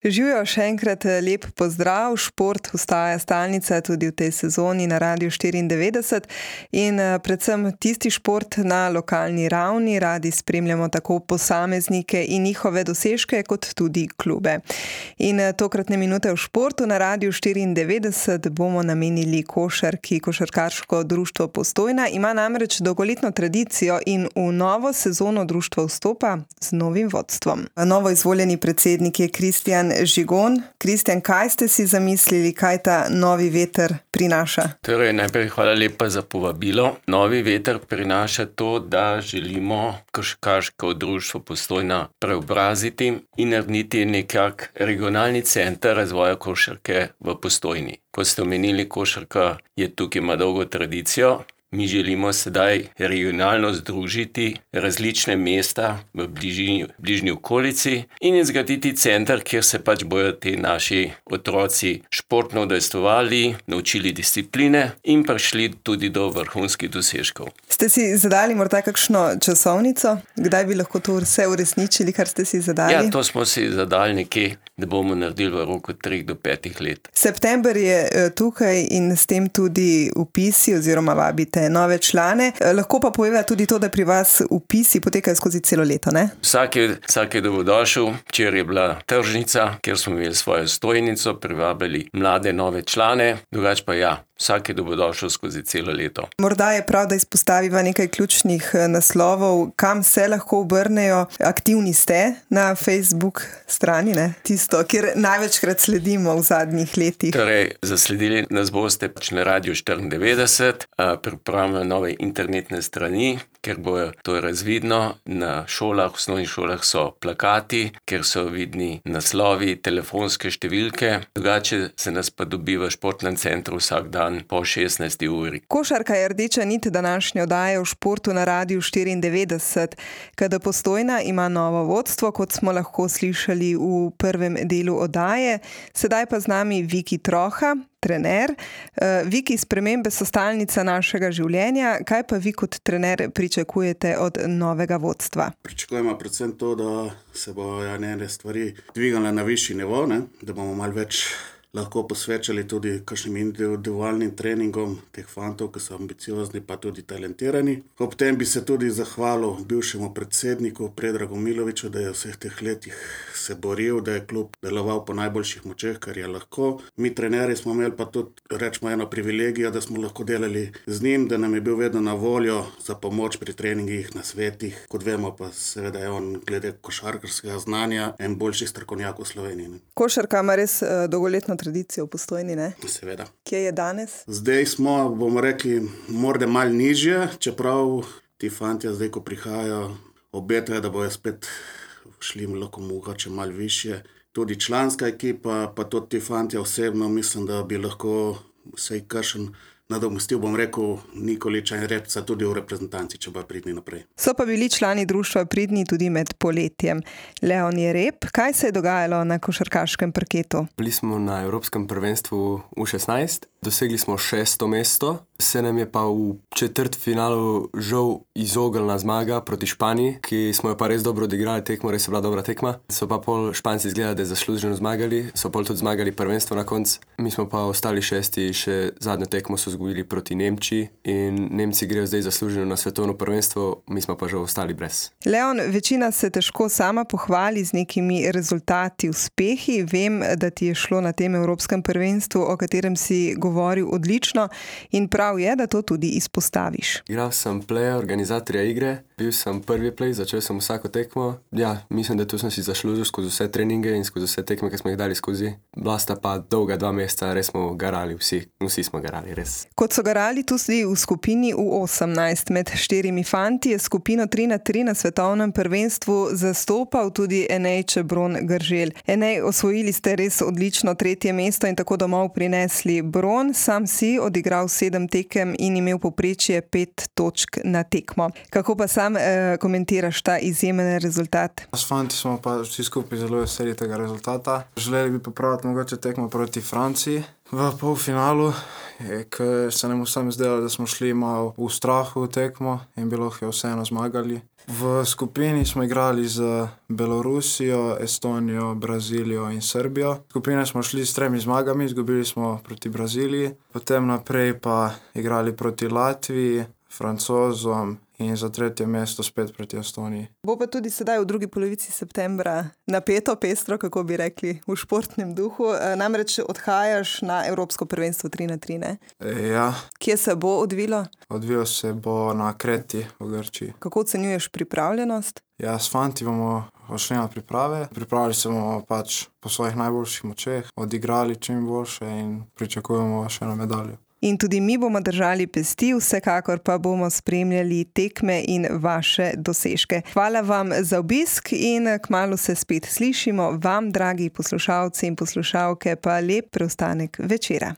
Živijo, še enkrat lep pozdrav. Šport ostaja stalnica tudi v tej sezoni na Radiu 94 in predvsem tisti šport na lokalni ravni. Radi spremljamo tako posameznike in njihove dosežke, kot tudi klube. In tokratne minute v športu na Radiu 94 bomo namenili košarki. Košarkarsko društvo Postojna ima namreč dolgoletno tradicijo in v novo sezono društvo vstopa z novim vodstvom. Novo izvoljeni predsednik je Kristjan Žigon. Kristjan, kaj ste si zamislili, kaj ta novi veter prinaša? Torej, najprej hvala lepa za povabilo. Novi veter prinaša to, da želimo košarkarsko društvo Postojna preobraziti in narediti nekak regionalni center razvoja košarke v Postojni. Ko ste omenili, košarka je tukaj ima dolgo tradicijo. Mi želimo sedaj regionalno združiti različne mesta v bližnji okolici in zgraditi center, kjer se pač bojo ti naši otroci športno udejstvovali, naučili discipline in prišli tudi do vrhunskih dosežkov. Ste si zadali morda kakšno časovnico? Kdaj bi lahko to vse uresničili, kar ste si zadali? Ja, to smo si zadali nekje, da bomo naredili v roku 3 do 5 let. September je tukaj in s tem tudi vpisi oziroma vabite nove člane. Lahko pa poveva tudi to, da pri vas vpisi potekajo skozi celo leto, ne? Vsak je dobrodošel. Včeraj je bila tržnica, kjer smo imeli svojo stojnico, privabili mlade nove člane. Drugače pa ja, vsak je dobrodošel skozi celo leto. Morda je prav, da izpostaviva nekaj ključnih naslovov, kam se lahko obrnejo. Aktivni ste na Facebook strani, ne? Tisto, kjer največkrat sledimo v zadnjih letih. Torej, zasledili nas boste pač na Radiu 94, pripravljamo nove internetne strani, ker bo to razvidno. Na šolah, osnovnih šolah so plakati, kjer so vidni naslovi, telefonske številke. Drugače se nas pa dobi v športnem centru vsak dan po 16. uri. Košarka je rdeča nit današnje oddaje v športu na Radiu 94. Kada Postojna ima novo vodstvo, kot smo lahko slišali v prvem delu oddaje. Sedaj pa z nami Viki Troha, trener. Viki, spremembe so stalnica našega življenja. Kaj pa vi kot trener pričakujete od novega vodstva? Pričakujemo predvsem to, da se bojo njene stvari dvigale na višji nivo, ne? Da bomo malo več lahko posvečali tudi kakšnim individualnim treningom teh fantov, ki so ambiciozni pa tudi talentirani. Ob tem bi se tudi zahvalil bivšemu predsedniku Predragu Miloviću, da je v vseh teh letih se boril, da je klub deloval po najboljših močeh, kar je lahko. Mi trenerji smo imeli pa tudi, rečemo, eno privilegijo, da smo lahko delali z njim, da nam je bil vedno na voljo za pomoč pri treningih, na svetih. Kot vemo pa seveda je on glede košarkarskega znanja en boljših strokovnjakov v Sloveniji. Ne? Košarka ima res dolgoletno tradicijo v Postojni, ne? Seveda. Kje je danes? Zdaj smo, bomo rekli, morda malo nižje, čeprav ti fantje zdaj, ko prihajajo, obetajo, da bojo spet šli lahko mogoče malo višje. Tudi članska ekipa, pa tudi ti fantje osebno, mislim, da bi lahko vsej kakšen nadomestil, bom rekel, Nikoliča in Repca tudi v reprezentanci, če bo pridni naprej. So pa bili člani društva pridni tudi med poletjem. Leon Jereb, kaj se je dogajalo na košarkaškem parketu? Bili smo na Evropskem prvenstvu U16, dosegli smo 6. mesto, se nam je pa v četrtfinalu žal izognila zmaga proti Španiji, ki smo jo pa res dobro odigrali tekmo, res je bila dobra tekma. So pa pol Španci izgledali, da je zasluženo zmagali, so pol tudi zmagali prvenstvo na koncu. Mi smo pa ostali 6. še zadnjo tekmo so izgubili proti Nemčiji in Nemci grejo zdaj zasluženo na svetovno prvenstvo, mi smo pa že ostali brez. Leon, večina se težko sama pohvali z nekimi rezultati, uspehi. Vem, da ti je šlo na tem Evropskem prvenstvu, o katerem si govoril, odlično in prav je, da to tudi izpostaviš. Igral sem play, organizatorja igre, bil sem prvi play, začel sem vsako tekmo. Ja, mislim, da tu sem si zaslužil skozi vse treninge in skozi vse tekme, ki smo jih dali skozi. Bila sta pa dolga 2 meseca, res smo garali, vsi smo garali, res. Kot so garali tudi v skupini U18 med 4 fanti, je skupino 3x3 na svetovnem prvenstvu zastopal tudi Enej Čebron Grželj. Enej, osvojili ste res odlično 3. mesto in tako domov prinesli bron. Sam si odigral 7 tekem in imel povprečje 5 točk na tekmo. Kako pa sam komentiraš ta izjemen rezultat? S fanti smo pa vsi skupaj zelo veseli tega rezultata. Želeli bi popraviti mogoče tekmo proti Franciji, v polfinalu, ker se nam vsem zdelo, da smo šli malo v strahu v tekmo in bi lahko vseeno zmagali. V skupini smo igrali z Belorusijo, Estonijo, Brazilijo in Srbijo. V skupini smo šli s 3 zmagami, izgubili smo proti Braziliji, potem naprej pa igrali proti Latviji, Francozom in za 3. mesto spet proti Estoniji. Bo pa tudi sedaj v drugi polovici septembra napeto, pestro, kako bi rekli, v športnem duhu. Namreč odhajaš na Evropsko prvenstvo 3x3, ne? Ja. Kje se bo odvilo? Odvilo se bo na Kreti v Grčiji. Kako ocenjuješ pripravljenost? Ja, s fanti bomo odšli na priprave. Pripravili se bomo pač po svojih najboljših močeh, odigrali čim boljše in pričakujemo še eno medaljo. In tudi mi bomo držali pesti, vsekakor pa bomo spremljali tekme in vaše dosežke. Hvala vam za obisk in kmalu se spet slišimo. Vam, dragi poslušalci in poslušalke, pa lep preostanek večera.